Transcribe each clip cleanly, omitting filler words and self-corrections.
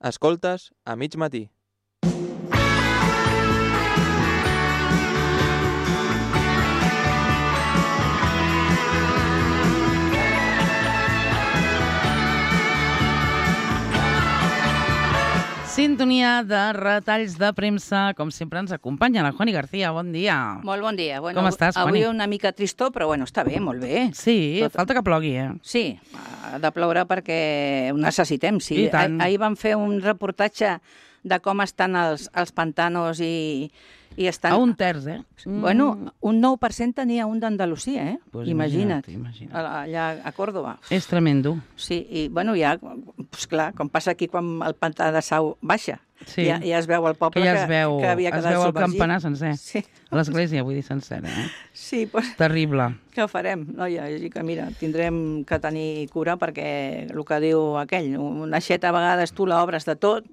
Escoltes a mig matí. Sintonia de retalls de premsa. Com sempre ens acompanya la Juani García. Bon dia. Molt bon dia. Bueno, Com estàs, Juani? Avui una mica tristor, però bueno, està bé, molt bé. Sí, falta que plogui, eh? Sí, ha de ploure perquè ho necessitem, sí. I tant. Ahir vam fer un reportatge de com estan els pantanos i estan... A un terç, eh? Bueno, un 9% tenia un d'Andalusia, eh? Pues imagina't. imagina't. Allà a Còrdoba. És tremendo. Sí, i bueno, ja, pues clar, com passa aquí quan el pantà de Sau baixa, Sí. ja es veu el poble Que ja es veu, que havia es quedat veu el submergit. campanar sencer. Sí. A l'església, vull dir sencera, eh? Sí, pues, Terrible. què farem, noia? Així que mira, tindrem que tenir cura perquè el que diu aquell, una aixeta a vegades tu l'obres de tot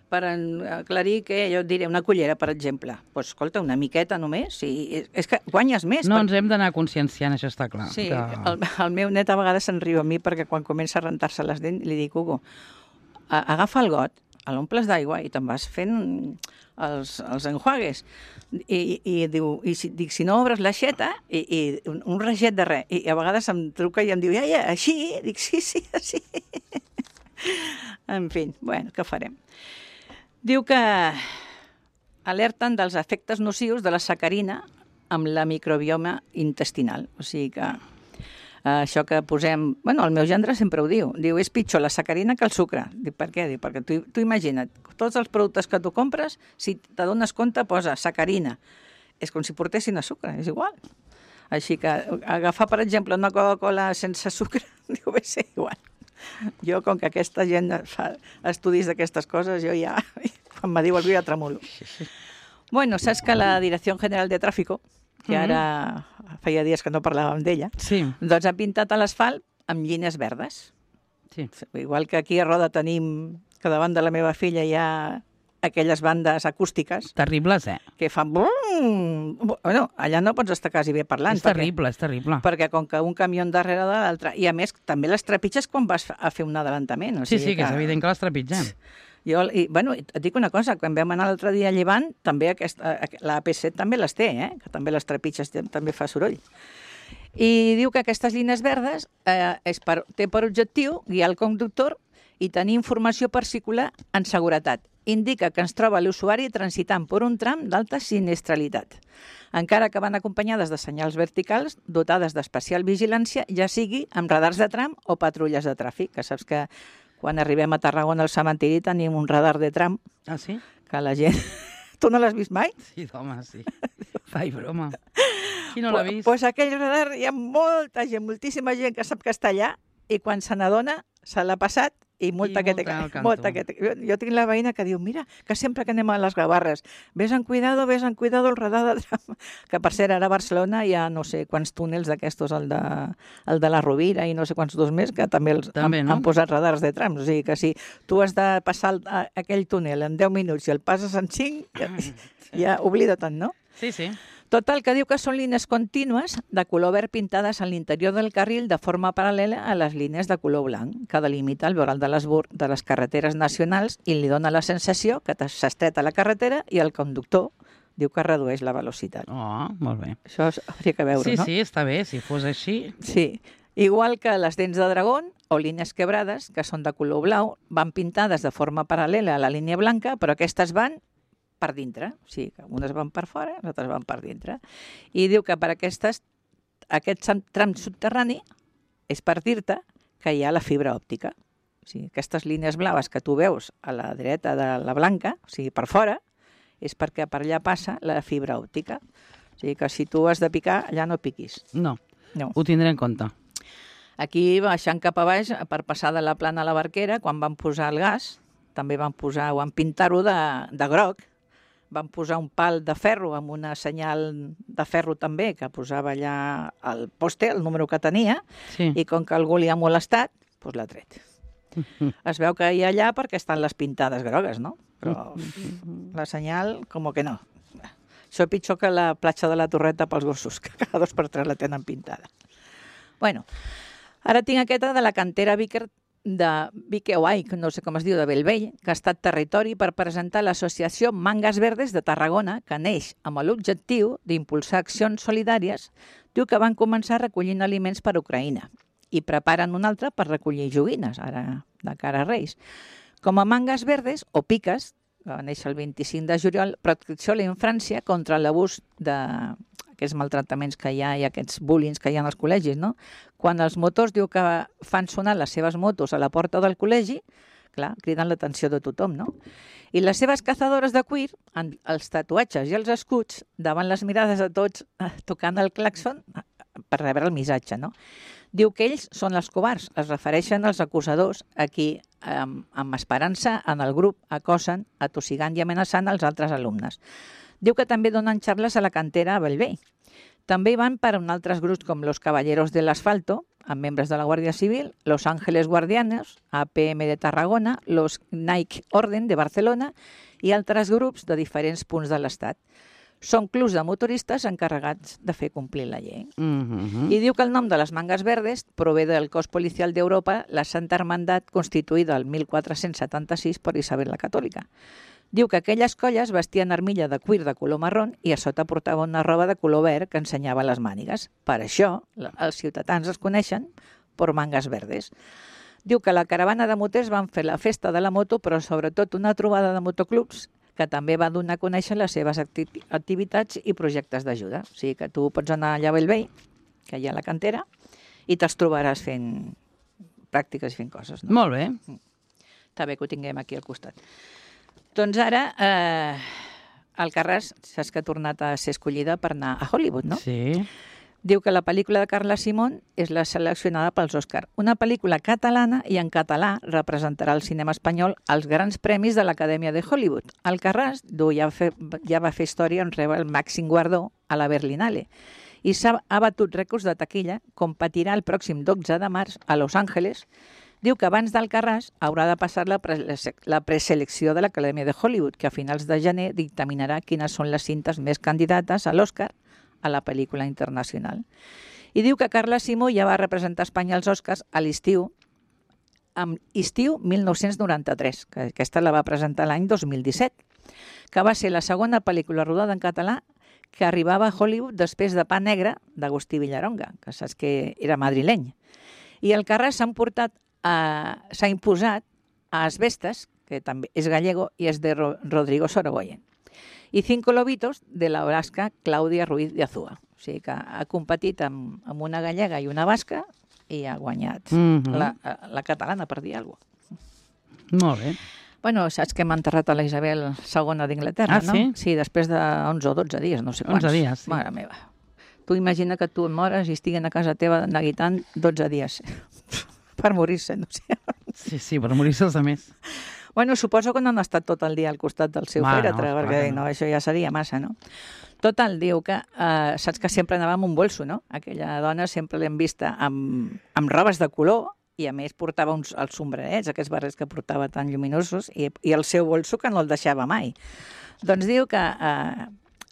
per aclarir que, jo et diré, una cullera, per exemple. Pues, escolta, una miqueta només, sí, és que guanyes més. No ens hem d'anar conscienciant, això està clar. Sí, que... el meu net a vegades se'n riu a mi perquè quan comença a rentar-se les dents li dic, Hugo, agafa el got, l'omples d'aigua i te'n vas fent els enjuagues. I diu, dic, si no obres l'aixeta, i un reget de res. I a vegades em truca i em diu, ja, així? Dic, sí, així. En fi, bueno, què farem? Diu que alerten dels efectes nocius de la sacarina amb la microbioma intestinal. O sigui que això que posem... Bueno, el meu gendre sempre ho diu. Diu, és pitjor la sacarina que el sucre. Dic, per què? Dic, perquè tu imagina't, tots els productes que tu compres, si t'adones compte, posa sacarina. És com si portessin a sucre, és igual. Així que agafar, per exemple, una Coca-Cola sense sucre, diu, bé, sí, igual. Jo, com que aquesta gent fa estudis d'aquestes coses, jo ja, quan me diu algú, ja tremulo. Bueno, saps que la Direcció General de Tráfico, que ara feia dies que no parlàvem d'ella, Sí. doncs ha pintat a l'asfalt amb llines verdes. Sí. Igual que aquí a Roda tenim, que davant de la meva filla hi ha aquelles bandes acústiques Terribles, eh? que fan... Bum! Bueno, allà no pots estar quasi bé parlant. És terrible, és terrible. Perquè com que un camió darrere de l'altre... I a més, també les trepitges quan vas a fer un adelantament. O Sí, sigui sí, que és evident que les trepitgem. Bueno, et dic una cosa, quan vam anar l'altre dia a Llevant, també la AP7 també les té, que també les trepitges també fa soroll. I diu que aquestes línies verdes té per objectiu guiar el conductor i tenir informació per circular en seguretat. Indica que ens troba l'usuari transitant per un tram d'alta sinistralitat, encara que van acompanyades de senyals verticals dotades d'especial vigilància, ja sigui amb radars de tram o patrulles de tràfic, que saps que quan arribem a Tarragona al cementiri tenim un radar de tram Ah, sí? que la gent... Tu no l'has vist mai? Sí, home, sí. Fai broma. Qui no l'ha vist? Pues aquell radar hi ha molta gent, moltíssima gent que sap que està allà i quan se n'adona se l'ha passat i multa que té. Jo tinc la veïna que diu, mira, que sempre que anem a les Gavarres, ves en cuidado el radar de tram. Que per cert, ara a Barcelona hi ha no sé quants túnels d'aquestos, el de la Rovira i no sé quants dos més, que també han posat radars de trams. O sigui que si tu has de passar aquell túnel en 10 minuts i el passes en 5, ja oblida't, no? Sí, sí. Total, que diu que són línies contínues de color verd pintades a l'interior del carril de forma paral·lela a les línies de color blanc, que delimita el voral de les carreteres nacionals i li dona la sensació que s'estreta la carretera i el conductor diu que redueix la velocitat. Oh, molt bé. Això hauria que veure, no? Sí, està bé, si fos així. Sí. Igual que les dents de dragón o línies quebrades, que són de color blau, van pintades de forma paral·lela a la línia blanca, però aquestes van per dintre, o sigui, que unes van per fora, les altres van per dintre. I diu que per aquest tram subterrani és per dir-te que hi ha la fibra òptica. O sigui, aquestes línies blaves que tu veus a la dreta de la blanca, o sigui, per fora, és perquè per allà passa la fibra òptica. O sigui, que si tu has de picar, allà no piquis. No, ho tindré en compte. Aquí, baixant cap a baix, per passar de la plana a la barquera, quan van posar el gas, també van pintar-ho de groc, van posar un pal de ferro amb una senyal de ferro també, que posava allà el poste, el número que tenia, sí. I com que algú li ha molestat, doncs l'ha tret. Es veu que hi ha allà perquè estan les pintades grogues, no? Però la senyal, com que no. Això és pitjor que la platja de la Torreta pels gossos, que cada 2 per 3 la tenen pintada. Bueno, ara tinc aquesta de la cantera de Viqueuai, que no sé com es diu, de Bellvei, que ha estat territori per presentar l'associació Mangas Verdes de Tarragona, que neix amb l'objectiu d'impulsar accions solidàries. Diu que van començar recollint aliments per a Ucraïna i preparen un altre per recollir joguines, ara de cara a Reis. Com a Mangas Verdes, o Piques, que va néixer el 25 de juliol, protecció a la infància contra l'abús d'aquests maltractaments que hi ha i aquests bullings que hi ha als col·legis, no? Quan els motors diu que fan sonar les seves motos a la porta del col·legi, clar, criden l'atenció de tothom, no? I les seves cazadores de cuir, amb els tatuatges i els escuts, davant les mirades de tots, tocant el clàxon per rebre el missatge, no? Diu que ells són els covards, es refereixen als acusadors a qui, amb esperança, en el grup acosen, atossigant i amenaçant els altres alumnes. Diu que també donen xarles a la cantera a Bellvei. També hi van per a altres grups com los Caballeros del Asfalto, amb membres de la Guàrdia Civil, Los Ángeles Guardianes, APM de Tarragona, los Nike Orden de Barcelona i altres grups de diferents punts de l'Estat. Són clubs de motoristes encarregats de fer complir la llei. I diu que el nom de les Mangas Verdes prové del cos policial d'Europa, la Santa Hermandat, constituïda el 1476 per Isabel la Catòlica. Diu que aquelles colles vestien armilla de cuir de color marrón i a sota portava una roba de color verd que ensenyava les mànigues. Per això, els ciutadans es coneixen per Mangas Verdes. Diu que la caravana de moters van fer la festa de la moto, però sobretot una trobada de motoclubs que també va donar a conèixer les seves activitats i projectes d'ajuda. O sigui que tu pots anar allà a Bellvei, que hi ha la cantera, i te'ls trobaràs fent pràctiques i fent coses. No? Molt bé. Està bé que ho tinguem aquí al costat. Doncs ara, Alcarràs, saps que ha tornat a ser escollida per anar a Hollywood, no? Sí. Diu que la pel·lícula de Carla Simón és la seleccionada pels Òscar. Una pel·lícula catalana i en català representarà el cinema espanyol als grans premis de l'Acadèmia de Hollywood. Alcarràs ja va fer història en rebre el màxim guardó a la Berlinale i ha batut rècords de taquilla, competirà el pròxim 12 de març a Los Angeles. Diu que abans d'Alcarràs haurà de passar la preselecció de l'Acadèmia de Hollywood, que a finals de gener dictaminarà quines són les cintes més candidates a l'Òscar a la pel·lícula internacional. I diu que Carla Simó ja va representar Espanya als Oscars a l'estiu, amb Estiu 1993, que aquesta la va presentar l'any 2017, que va ser la segona pel·lícula rodada en català que arribava a Hollywood després de Pa Negre d'Agustí Villaronga, que saps que era madrileny. I Alcarràs s'ha imposat a Asbestas, que també és gallego i és de Rodrigo Sorogoyen, i Cinco Lobitos de la basca Clàudia Ruiz de Azúa. O sigui que ha competit amb una gallega i una basca i ha guanyat la catalana, per dir alguna cosa. Molt bé. Bueno, saps que m'ha enterrat a la Isabel II d'Inglaterra, no? Sí? Sí, després de 11 o 12 dies, no sé quants. 11 dies, sí. Mare meva. Tu imagina que tu et mores i estiguen a casa teva neguitant 12 dies per morir-se, no sé. Sí, per morir-se els altres. Bueno, suposo que no han estat tot el dia al costat del seu fèretre, perquè no, això ja seria massa, no? Total, diu que saps que sempre anava amb un bolso, no? Aquella dona sempre l'hem vista amb robes de color i a més portava els sombrerets, aquests barrets que portava tan lluminosos i el seu bolso que no el deixava mai. Doncs diu que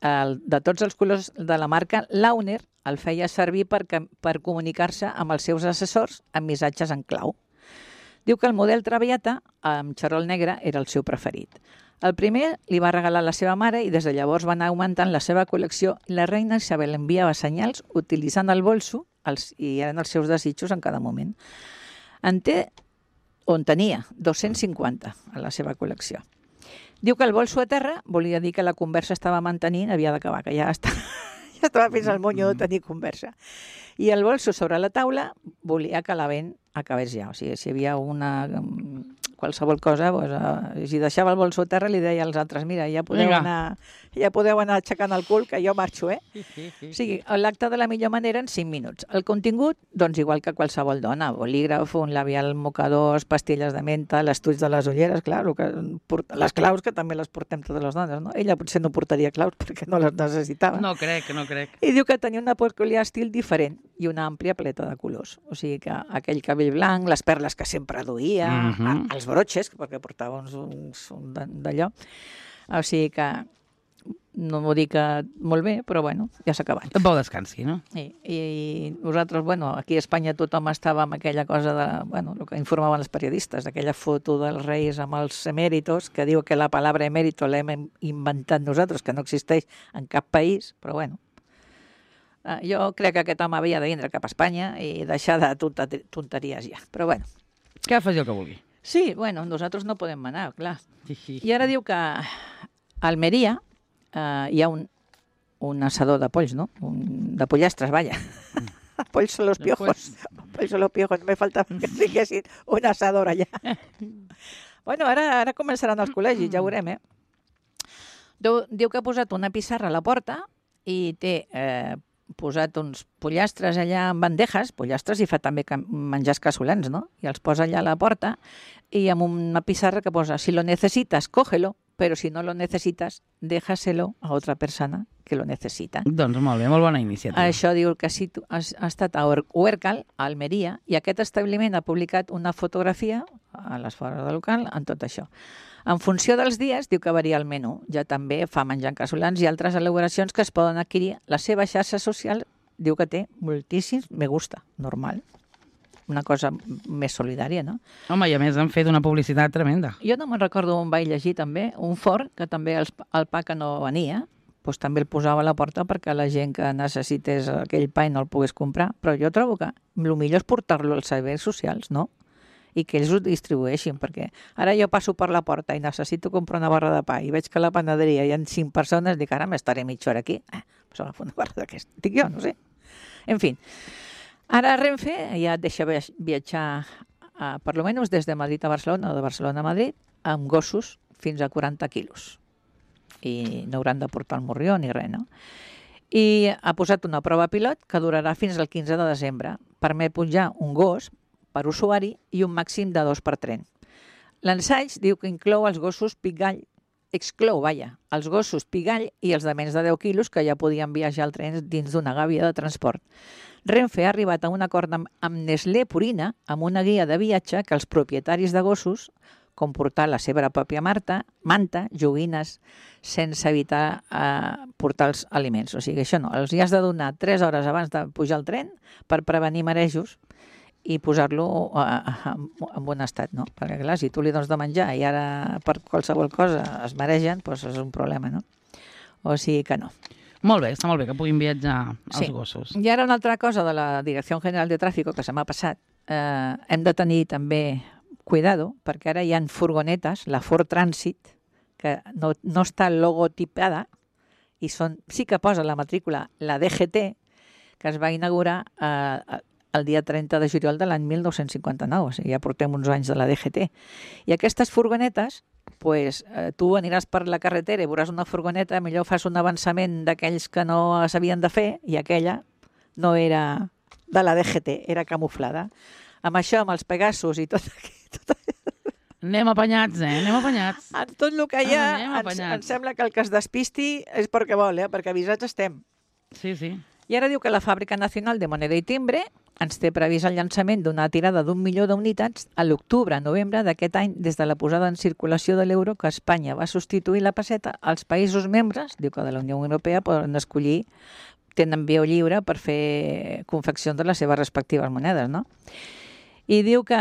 de tots els colors de la marca, Launer el feia servir per comunicar-se amb els seus assessors amb missatges en clau. Diu que el model Traviata, amb xarol negre, era el seu preferit. El primer li va regalar la seva mare i des de llavors va anar augmentant la seva col·lecció. La reina Isabel enviava senyals utilitzant el bolso i eren els seus desitjos en cada moment. En tenia 250 a la seva col·lecció. Diu que el bolso a terra volia dir que la conversa estava mantenint, havia d'acabar, que ja estava fins al monyo de tenir conversa. I el bolso sobre la taula volia que la vent acabés ja. O sigui, si hi havia qualsevol cosa, si deixava el bolso a terra li deia als altres, mira, ja podeu anar aixecant el cul, que jo marxo, eh? O sigui, l'acte de la millor manera en 5 minuts. El contingut, doncs igual que qualsevol dona, bolígraf, un labial mocador, pastilles de menta, l'estuig de les ulleres, clar, les claus que també les portem totes les dones, no? Ella potser no portaria claus perquè no les necessitava. No crec. I diu que tenia una peculiar estil diferent i una àmplia paleta de colors. O sigui que aquell cabell blanc, les perles que sempre duia, els broches, perquè portava uns d'allò. O sigui que no m'ho dic molt bé, però bueno, ja s'ha acabat. Et vau descansi, no? I nosaltres, bueno, aquí a Espanya tothom estava amb aquella cosa de, bueno, el que informaven els periodistes, aquella foto dels reis amb els emèritos, que diu que la paraula emèrito l'hem inventat nosaltres, que no existeix en cap país, però bueno. Jo crec que aquest home havia de vindre cap a Espanya i deixar de tonteries ja, però bueno. Que faci el que vulgui. Sí, bueno, nosaltres no podem manar, clar. Sí. I ara diu que a Almeria hi ha un assador de polls, no? De pollastres, vaja. Polls son los piojos. Polls son los piojos. Me falta que diguessin un assador allà. Bueno, ara començaran els col·legis, ja ho veurem, Diu que ha posat una pissarra a la porta i té posat uns pollastres allà en bandejas, pollastres i fa també menjars casolans, no? I els posa allà a la porta i amb una pissarra que posa si lo necesitas, cógelo, pero si no lo necesitas, déjaselo a otra persona que lo necesita. Doncs molt bé, molt bona iniciativa. Això diu que ha estat a Huércal, a Almeria, i aquest establiment ha publicat una fotografia a les fores del local en tot això. En funció dels dies, diu que varia el menú. Ja també fa menjar casolans i altres elaboracions que es poden adquirir. La seva xarxa social diu que té moltíssims me gusta, normal. Una cosa més solidària, no? Home, i a més han fet una publicitat tremenda. Jo no me'n recordo on vaig llegir també, un forn, que també el pa que no venia, doncs també el posava a la porta perquè la gent que necessités aquell pa i no el pogués comprar. Però jo trobo que el millor és portar-lo als serveis socials, no? I que ells ho distribueixin, perquè ara jo passo per la porta i necessito comprar una barra de pa i veig que a la panaderia hi ha 5 persones, dic, ara m'estaré mitja hora aquí, pues agafo una barra d'aquesta. Dic jo, no sé. En fi, ara Renfe ja et deixa viatjar per lo menys des de Madrid a Barcelona o de Barcelona a Madrid amb gossos fins a 40 quilos. I no hauran de portar el morrió ni res, no? I ha posat una prova pilot que durarà fins al 15 de desembre. Permet pujar un gos per usuari i un màxim de 2 per tren. L'ensaig diu que exclou els gossos pigall i els de menys de 10 quilos que ja podien viatjar al tren dins d'una gàbia de transport. Renfe ha arribat a un acord amb Nestlé Purina, amb una guia de viatge que els propietaris de gossos, com portar la seva pròpia manta, joguines, sense evitar portar els aliments. O sigui, això no, els hi has de donar 3 hores abans de pujar al tren per prevenir marejos i posar-lo en bon estat, no? Perquè, clar, si tu li dones de menjar i ara per qualsevol cosa es maregen, doncs és un problema, no? O sigui que no. Molt bé, està molt bé que puguin viatjar els gossos. I ara una altra cosa de la Direcció General de Tráfico que se m'ha passat. Hem de tenir també cuidado, perquè ara hi ha furgonetes, la Ford Transit, que no està logotipada i sí que posa la matrícula, la DGT, que es va inaugurar el dia 30 de juliol de l'any 1959, o sigui, ja portem uns anys de la DGT. I aquestes furgonetes, tu aniràs per la carretera i veuràs una furgoneta, millor fas un avançament d'aquells que no s'havien de fer, i aquella no era de la DGT, era camuflada. Amb això, amb els Pegasus i tot Anem apanyats, anem apanyats. En tot el que hi ha, em sembla que el que es despisti és perquè vol, perquè avisats estem. Sí. I ara diu que la Fàbrica Nacional de Moneda i Timbre ens té previst el llançament d'una tirada d'1 milió d'unitats a l'octubre-novembre d'aquest any des de la posada en circulació de l'euro que Espanya va substituir la peseta. Els països membres, diu que de la Unió Europea, poden escollir, tenen via lliure per fer confeccions de les seves respectives monedes, no? I diu que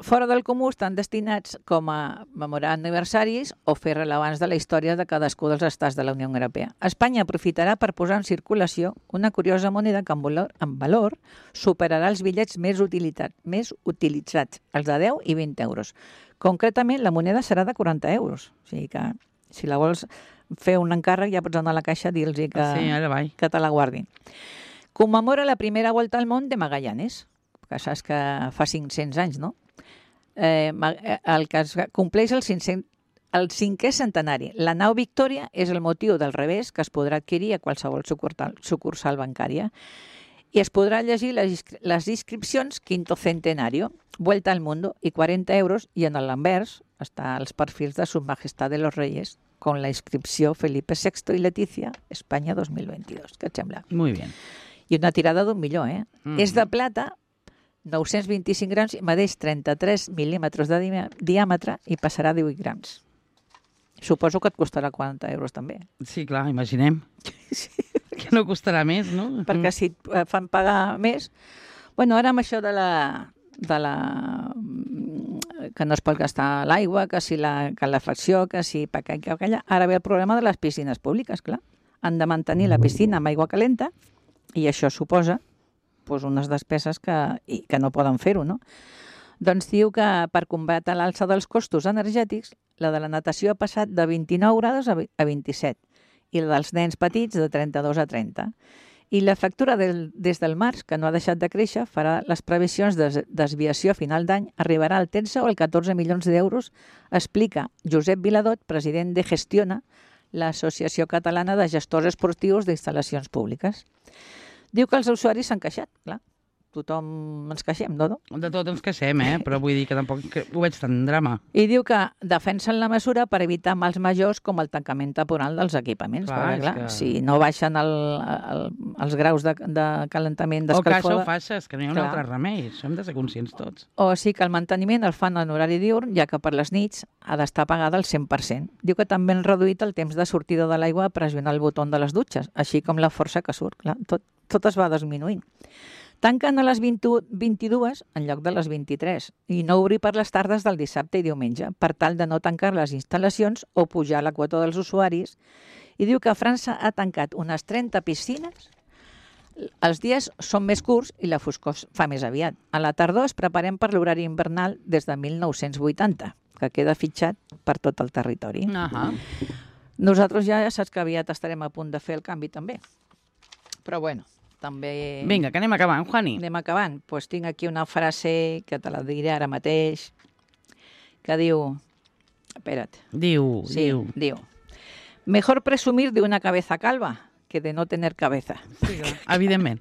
fora del comú estan destinats com a memorar aniversaris o fer rellevants de la història de cadascú dels estats de la Unió Europea. Espanya aprofitarà per posar en circulació una curiosa moneda que en valor superarà els bitllets més utilitzats, els de 10 i 20 euros. Concretament, la moneda serà de 40 euros. O sigui que, si la vols fer un encàrrec, ja pots anar a la caixa i dir-los que te la guardin. Commemora la primera volta al món de Magallanes, que saps que fa 500 anys, no? El que compleix el 5è centenari. La nau Victòria és el motiu del revés que es podrà adquirir a qualsevol sucursal bancària i es podrà llegir les inscripcions Quinto Centenario, Vuelta al Mundo i 40 euros, i en l'anvers està els perfils de Su Majestad de los Reyes con la inscripció Felipe VI y Leticia, Espanya 2022. Què et sembla? Muy bien. I una tirada d'1 milió, És de plata, 925 grams, medeix 33 mil·límetres de diàmetre i passarà 18 grams. Suposo que et costarà 40 euros també. Sí, clar, imaginem. Que no costarà més, no? Perquè si et fan pagar més... Bueno, ara amb això de la que no es pot gastar l'aigua, que si la calefacció, que si aquella... Ara ve el problema de les piscines públiques, clar. Han de mantenir la piscina amb aigua calenta i això suposa doncs, unes despeses que no poden fer-ho, no? Doncs diu que per combatre l'alça dels costos energètics, la de la natació ha passat de 29 graus a 27 i la dels nens petits de 32 a 30. I la factura des del març, que no ha deixat de créixer, farà les previsions de desviació a final d'any, arribarà al 13 o al 14 milions d'euros, explica Josep Viladot, president de Gestiona, l'Associació Catalana de Gestors Esportius d'Instal·lacions Públiques. Diu que els usuaris s'han queixat, clar. Tothom ens queixem, no? De tot ens queixem, però vull dir que tampoc ho veig tan drama. I diu que defensen la mesura per evitar mals majors com el tancament temporal dels equipaments. Clar, perquè, si no baixen els graus de calentament d'escalfor... O que això ho faixes, que no hi ha un altre remei. Això hem de ser conscients tots. O sí que el manteniment el fan en horari diürn, ja que per les nits ha d'estar pagada al 100%. Diu que també han reduït el temps de sortida de l'aigua a pressionar el botó de les dutxes, així com la força que surt. Clar, tot es va disminuint. Tanquen a les 22 en lloc de les 23 i no obrir per les tardes del dissabte i diumenge per tal de no tancar les instal·lacions o pujar la quota dels usuaris. I diu que França ha tancat unes 30 piscines. Els dies són més curts i la foscor fa més aviat. A la tardor es preparem per l'horari invernal des de 1980, que queda fitxat per tot el territori. Nosaltres ja saps que aviat estarem a punt de fer el canvi també. Però bueno, també... Vinga, que anem acabant, Juani. Anem acabant. Doncs tinc aquí una frase que te la diré ara mateix, que diu... Espera't. Diu. Mejor presumir de una cabeza calva que de no tener cabeza. Sí, evidentment.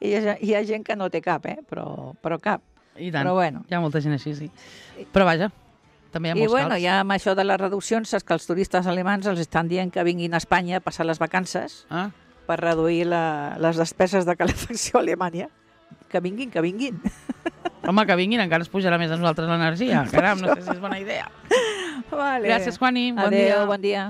Hi ha gent que no té cap, però cap. I tant. Però bueno. Hi ha molta gent així, sí. Però vaja, també hi ha molts calps. I ja amb això de les reduccions, saps que els turistes alemans els estan dient que vinguin a Espanya a passar les vacances... per reduir les despeses de calefacció a Alemanya. Que vinguin. Home, que vinguin, encara es pujarà més a nosaltres l'energia. Caram, no sé si és bona idea. Vale. Gràcies, Juani. Bon dia. Adéu, bon dia.